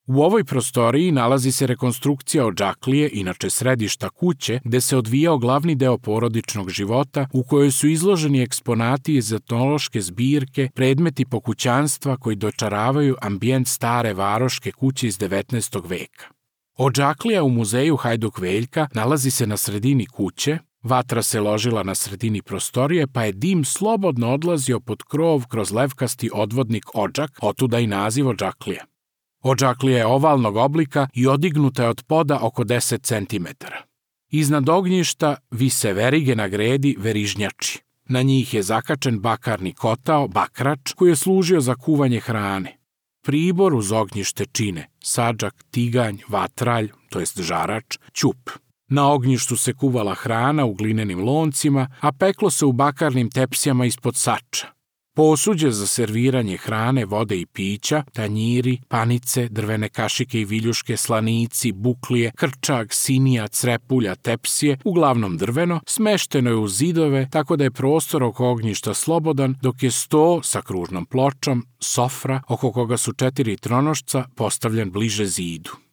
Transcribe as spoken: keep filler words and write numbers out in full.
U ovoj prostoriji nalazi se rekonstrukcija odžaklije, inače središta kuće, gde se odvijao glavni deo porodičnog života, u kojoj su izloženi eksponati iz etnološke zbirke, predmeti pokućanstva koji dočaravaju ambijent stare varoške kuće iz devetnaestog veka. Odžaklija u muzeju Hajduk Veljka nalazi se na sredini kuće, vatra se ložila na sredini prostorije, pa je dim slobodno odlazio pod krov kroz levkasti odvodnik odžak, otuda i naziv odžaklija. Odžaklija je ovalnog oblika i odignuta je od poda oko deset centimetara. Iznad ognjišta vise verige na gredi verižnjači. Na njih je zakačen bakarni kotao, bakrač, koji je služio za kuvanje hrane. Pribor uz ognjište čine sadžak, tiganj, vatralj, to jest žarač, ćup. Na ognjištu se kuvala hrana u glinenim loncima, a peklo se u bakarnim tepsijama ispod sača. Posuđe za serviranje hrane, vode i pića, tanjiri, panice, drvene kašike i viljuške, slanici, buklije, krčak, sinija, crepulja, tepsije, uglavnom drveno, smešteno je u zidove, tako da je prostor oko ognjišta slobodan, dok je sto sa kružnom pločom, sofra, oko koga su četiri tronošca, postavljen bliže zidu.